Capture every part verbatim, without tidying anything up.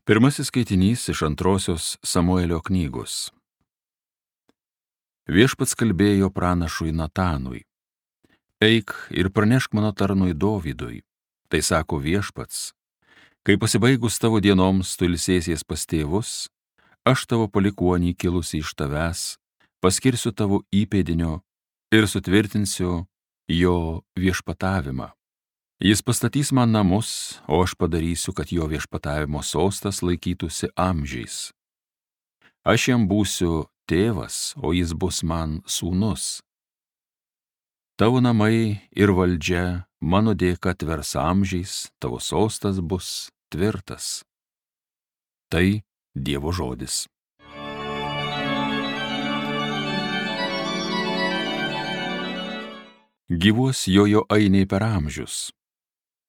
Pirmasis skaitinys iš antrosios Samuelio knygos. Viešpats kalbėjo pranašui Natanui: Eik ir pranešk mano tarnui Dovydui. Tai sako Viešpats: kai pasibaigus tavo dienoms tu ilsėsies pas tėvus, aš tavo palikuonį kilusi iš tavęs paskirsiu tavo įpėdinio ir sutvirtinsiu jo viešpatavimą. Jis pastatys man namus, o aš padarysiu, kad jo viešpatavimo sostas laikytųsi amžiais. Aš jam būsiu tėvas, o jis bus man sūnus. Tavo namai ir valdžia mano dėka tvers amžiais, tavo sostas bus tvirtas. Tai Dievo žodis. Gyvuos jojo ainiai per amžius.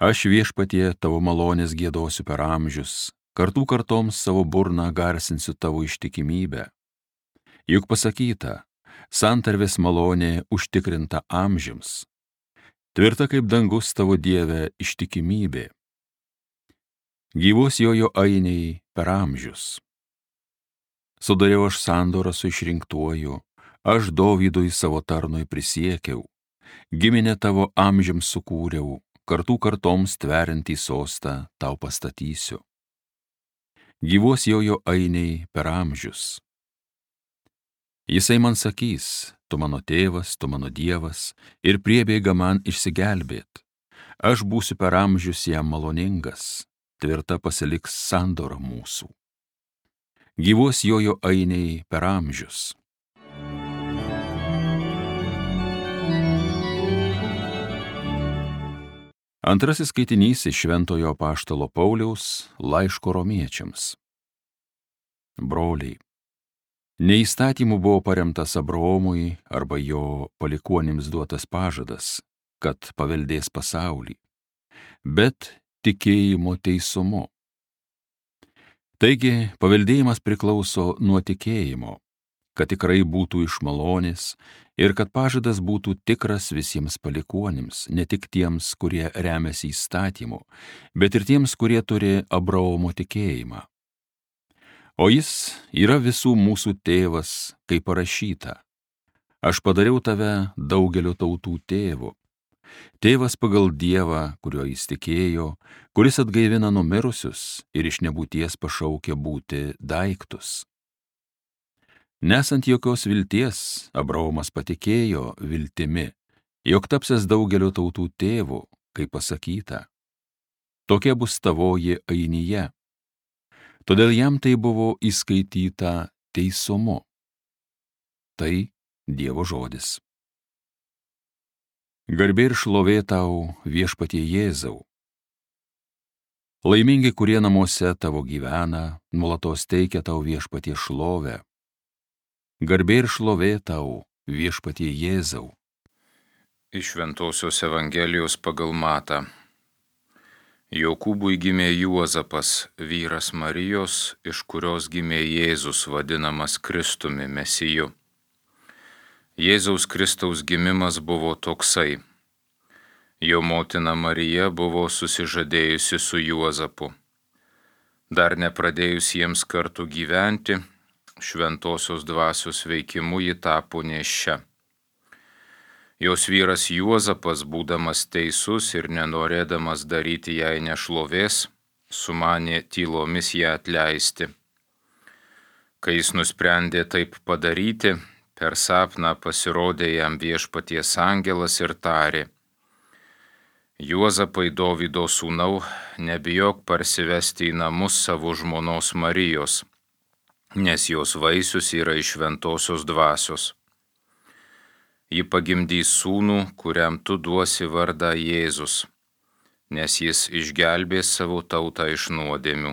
Aš Viešpatie tavo malonės giedosiu per amžius, kartų kartoms savo burną garsinsiu tavo ištikimybę. Juk pasakyta, santarvės malonė užtikrinta amžiams. Tvirta kaip dangus tavo Dieve ištikimybė. Gyvuos jojo ainiai per amžius. Sudariau aš sandorą su išrinktuoju, aš Dovydui savo tarnui prisiekiau, giminę tavo amžiams sukūriau, kartų kartoms tveriantį sostą tau pastatysiu. Gyvuos jojo ainiai per amžius. Jisai man sakys: tu mano tėvas, tu mano Dievas, ir priebėga man išsigelbėt. Aš būsiu per amžius jam maloningas, tvirta pasiliks sandora mūsų. Gyvuos jojo ainiai per amžius. Antrasis skaitinys iš Šventojo apaštalo Pauliaus laiško romiečiams. Broliai, ne įstatymu buvo paremtas Abraomui arba jo palikuonims duotas pažadas, kad paveldės pasaulį, bet tikėjimo teisumu. Taigi, paveldėjimas priklauso nuo tikėjimo, kad tikrai būtų iš malonės ir kad pažadas būtų tikras visiems palikuonims, ne tik tiems, kurie remiasi įstatymu, bet ir tiems, kurie turi Abraomo tikėjimą. O jis yra visų mūsų tėvas, kaip parašyta: aš padariau tave daugelio tautų tėvu. Tėvas pagal Dievą, kuriuo jis tikėjo, kuris atgaivina numirusius ir iš nebūties pašaukia būti daiktus. Nesant jokios vilties, Abraomas patikėjo viltimi, jog tapsiąs daugelio tautų tėvu, kaip pasakyta: tokia bus tavoji ainija. Todėl jam tai buvo įskaityta teisumu. Tai Dievo žodis. Garbė ir šlovė tau, Viešpatie Jėzau. Laimingi, kurie namuose tavo gyvena, nuolatos teikia tau, Viešpatie, šlovę. Garbė ir šlovė tau, Viešpatie Jėzau. Iš Šventosios Evangelijos pagal Matą. Jokūbui gimė Juozapas, vyras Marijos, iš kurios gimė Jėzus, vadinamas Kristumi, Mesiju. Jėzaus Kristaus gimimas buvo toksai: jo motina Marija buvo susižadėjusi su Juozapu. Dar nepradėjus jiems kartu gyventi, šventosios dvasios veikimu ji tapo nėščia. Jos vyras Juozapas, būdamas teisus ir nenorėdamas daryti jai nešlovės, sumanė tylomis ją atleisti. Kai jis nusprendė taip padaryti, per sapną pasirodė jam Viešpaties angelas ir tarė: Juozapai, Dovydo sūnau, nebijok parsivesti į namus savo žmonos Marijos, nes jos vaisius yra iš šventosios dvasios. Ji pagimdys sūnų, kuriam tu duosi vardą Jėzus, nes jis išgelbės savo tautą iš nuodėmių.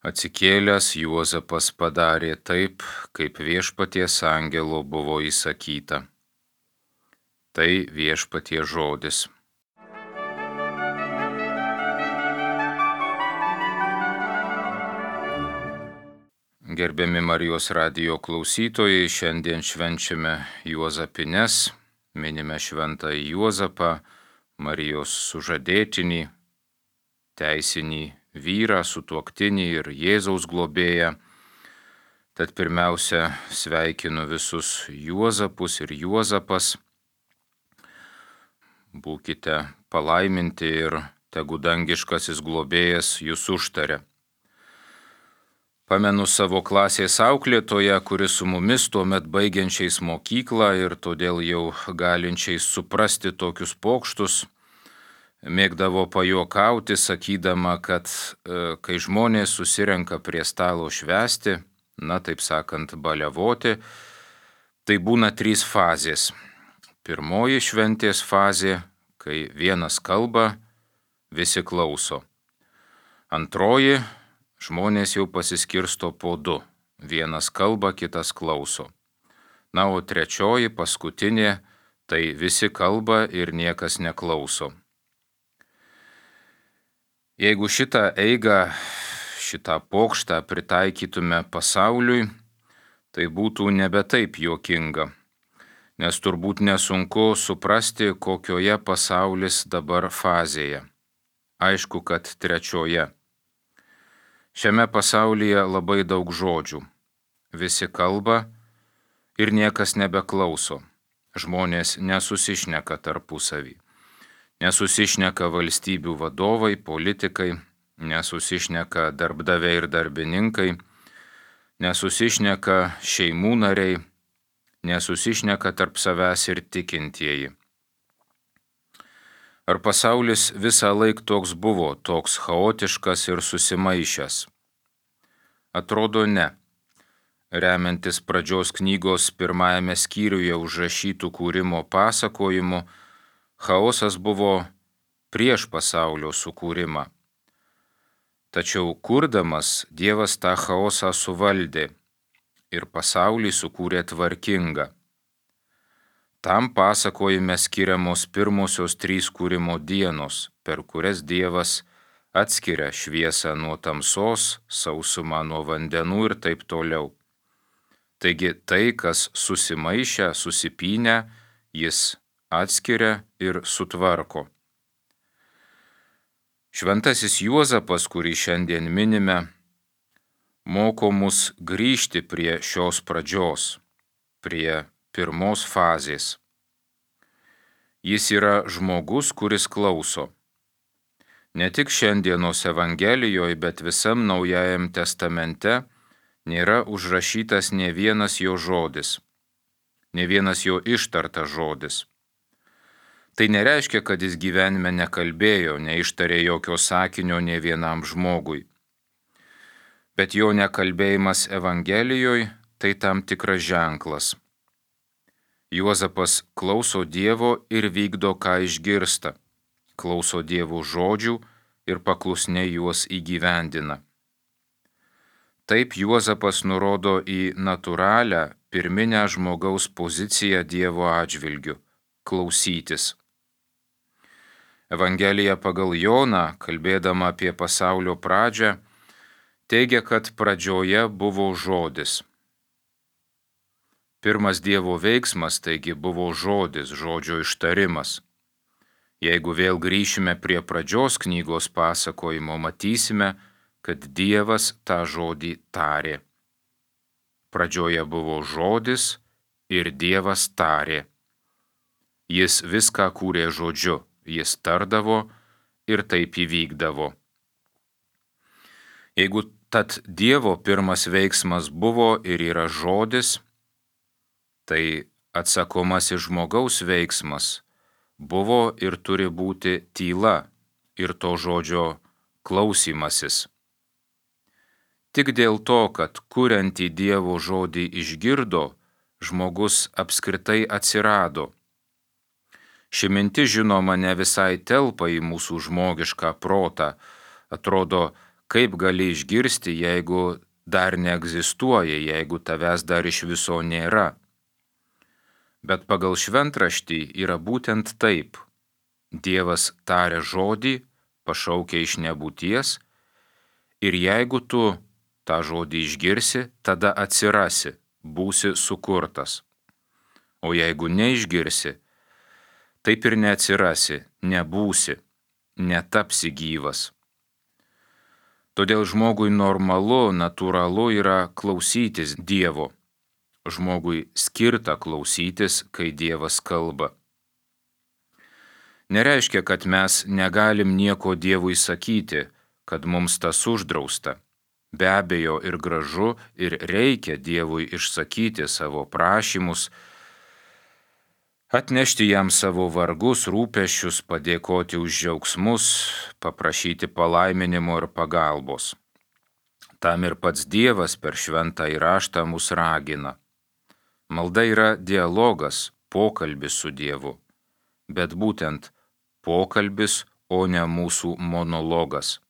Atsikėlęs, Juozapas padarė taip, kaip Viešpaties angelo buvo įsakyta. Tai Viešpaties žodis. Gerbiami Marijos radijo klausytojai, šiandien švenčiame Juozapines, minime šventąjį Juozapą, Marijos sužadėtinį, teisinį vyrą, sutuoktinį ir Jėzaus globėją. Tad pirmiausia, sveikinu visus Juozapus ir Juozapas. Būkite palaiminti ir tegu dangiškasis globėjas jūs užtaria. Pamenu savo klasės auklėtoją, kuris su mumis tuomet baigiančiais mokyklą ir todėl jau galinčiais suprasti tokius pokštus, mėgdavo pajuokauti, sakydama, kad e, kai žmonės susirenka prie stalo švęsti, na taip sakant, baliavoti, tai būna trys fazės. Pirmoji šventės fazė, kai vienas kalba, visi klauso. Antroji, žmonės jau pasiskirsto po du. Vienas kalba, kitas klauso. Na, o trečioji, paskutinė, tai visi kalba ir niekas neklauso. Jeigu šitą eigą, šitą pokštą pritaikytume pasauliui, tai būtų nebe taip juokinga, nes turbūt nesunku suprasti, kokioje pasaulis dabar fazėje. Aišku, kad trečioje. Šiame pasaulyje labai daug žodžių. Visi kalba ir niekas nebeklauso. Žmonės nesusišneka tarpusavį. Nesusišneka valstybių vadovai, politikai, nesusišneka darbdaviai ir darbininkai, nesusišneka šeimų nariai, nesusišneka tarp savęs ir tikintieji. Ar pasaulis visą laiką toks buvo, toks chaotiškas ir susimaišęs? Atrodo ne. Remiantis pradžios knygos pirmajame skyriuje užrašytų kūrimo pasakojimu, chaosas buvo prieš pasaulio sukūrimą. Tačiau kurdamas Dievas tą chaosą suvaldė ir pasaulį sukūrė tvarkingą. Tam pasakojime skiriamos pirmosios trys kūrimo dienos, per kurias Dievas atskiria šviesą nuo tamsos, sausumą nuo vandenų ir taip toliau. Taigi tai, kas susimaišę, susipynę, jis atskiria ir sutvarko. Šventasis Juozapas, kurį šiandien minime, moko mus grįžti prie šios pradžios, prie pirmos fazės. Jis yra žmogus, kuris klauso. Ne tik šiandienos Evangelijoje, bet visam Naujajam testamente nėra užrašytas ne vienas jo žodis, ne vienas jo ištartas žodis. Tai nereiškia, kad jis gyvenime nekalbėjo, neištarė jokio sakinio ne vienam žmogui. Bet jo nekalbėjimas Evangelijoje tai tam tikras ženklas. Juozapas klauso Dievo ir vykdo, ką išgirsta, klauso Dievo žodžių ir paklusniai juos įgyvendina. Taip Juozapas nurodo į natūralią, pirminę žmogaus poziciją Dievo atžvilgiu – klausytis. Evangelija pagal Joną, kalbėdama apie pasaulio pradžią, teigia, kad pradžioje buvo žodis. Pirmas Dievo veiksmas, taigi, buvo žodis, žodžio ištarimas. Jeigu vėl grįšime prie pradžios knygos pasakojimo, matysime, kad Dievas tą žodį tarė. Pradžioje buvo žodis ir Dievas tarė. Jis viską kūrė žodžiu. Jis tardavo ir taip įvykdavo. Jeigu tad Dievo pirmas veiksmas buvo ir yra žodis, tai atsakomasis žmogaus veiksmas buvo ir turi būti tyla ir to žodžio klausymasis. Tik dėl to, kad kuriantį Dievo žodį išgirdo, žmogus apskritai atsirado. Ši mintis, žinoma, ne visai telpa į mūsų žmogišką protą. Atrodo, kaip gali išgirsti, jeigu dar neegzistuoja, jeigu tavęs dar iš viso nėra. Bet pagal šventraštį yra būtent taip. Dievas taria žodį, pašaukia iš nebūties, ir jeigu tu tą žodį išgirsi, tada atsirasi, būsi sukurtas. O jeigu neišgirsi, taip ir neatsirasi, nebūsi, netapsi gyvas. Todėl žmogui normalu, natūralu yra klausytis Dievo. Žmogui skirta klausytis, kai Dievas kalba. Nereiškia, kad mes negalim nieko Dievui sakyti, kad mums tas uždrausta. Be abejo ir gražu, ir reikia Dievui išsakyti savo prašymus, atnešti jam savo vargus, rūpesčius, padėkoti už džiaugsmus, paprašyti palaiminimo ir pagalbos. Tam ir pats Dievas per šventąjį raštą mus ragina. Malda yra dialogas, pokalbis su Dievu, bet būtent pokalbis, o ne mūsų monologas.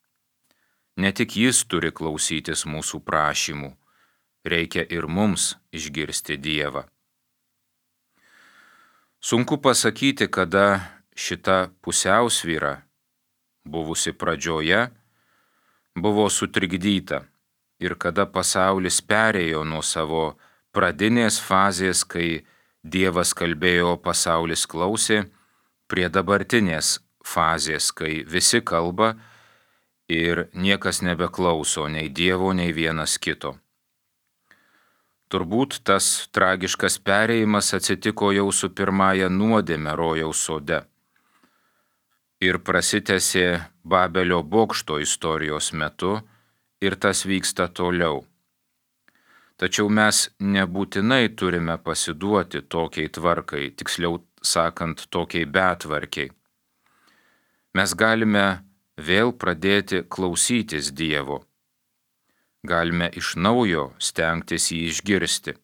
Ne tik jis turi klausytis mūsų prašymų, reikia ir mums išgirsti Dievą. Sunku pasakyti, kada šita pusiausvyra, buvusi pradžioje, buvo sutrikdyta ir kada pasaulis perėjo nuo savo pradinės fazės, kai Dievas kalbėjo, pasaulis klausė, prie dabartinės fazės, kai visi kalba ir niekas nebeklauso nei Dievo, nei vienas kito. Turbūt tas tragiškas perėjimas atsitiko jau su pirmąja nuodėme rojaus sode ir prasitęsė Babelio bokšto istorijos metu ir tas vyksta toliau. Tačiau mes nebūtinai turime pasiduoti tokiai tvarkai, tiksliau sakant, tokiai betvarkiai. Mes galime vėl pradėti klausytis Dievo. Galime iš naujo stengtis jį išgirsti.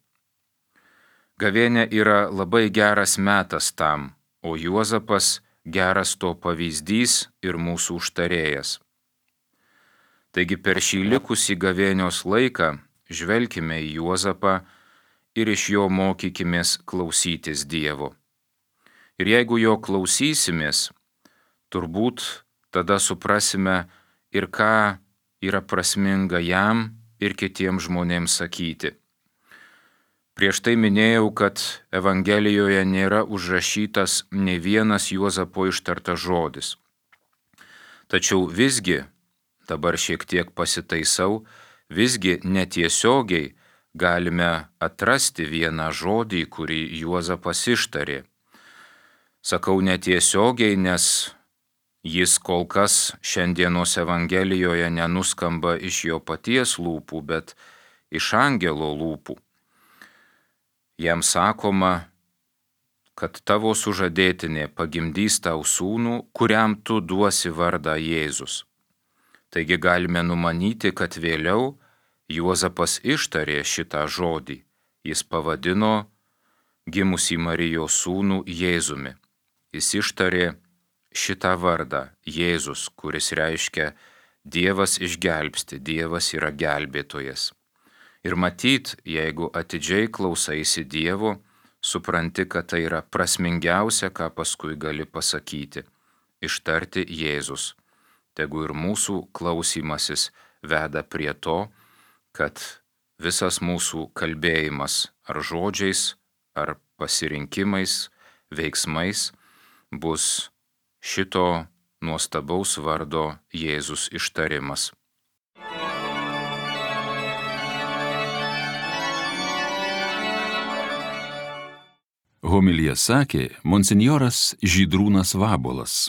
Gavėnia yra labai geras metas tam, o Juozapas geras to pavyzdys ir mūsų užtarėjas. Taigi per šį likusį gavėnios laiką žvelkime į Juozapą ir iš jo mokykimės klausytis Dievo. Ir jeigu jo klausysimės, turbūt tada suprasime ir ką yra prasminga jam ir kitiems žmonėms sakyti. Prieš tai minėjau, kad Evangelijoje nėra užrašytas nei vienas Juozapo ištartas žodis. Tačiau visgi, dabar šiek tiek pasitaisau, visgi netiesiogiai galime atrasti vieną žodį, kurį Juozapas ištarė. Sakau netiesiogiai, nes jis kol kas šiandienos Evangelijoje nenuskamba iš jo paties lūpų, bet iš angelo lūpų. Jam sakoma, kad tavo sužadėtinė pagimdys tau sūnų, kuriam tu duosi vardą Jėzus. Taigi galime numanyti, kad vėliau Juozapas ištarė šitą žodį. Jis pavadino gimusį Marijos sūnų Jėzumi. Jis ištarė šitą vardą Jėzus, kuris reiškia Dievas išgelbsti, Dievas yra gelbėtojas. Ir matyt, jeigu atidžiai klausaisi Dievo, supranti, kad tai yra prasmingiausia, ką paskui gali pasakyti - ištarti Jėzus. Tegu ir mūsų klausymasis veda prie to, kad visas mūsų kalbėjimas ar žodžiais, ar pasirinkimais, veiksmais bus šito nuostabaus vardo Jėzus ištarimas. Homiliją sakė monsinjoras Žydrūnas Vabuolas.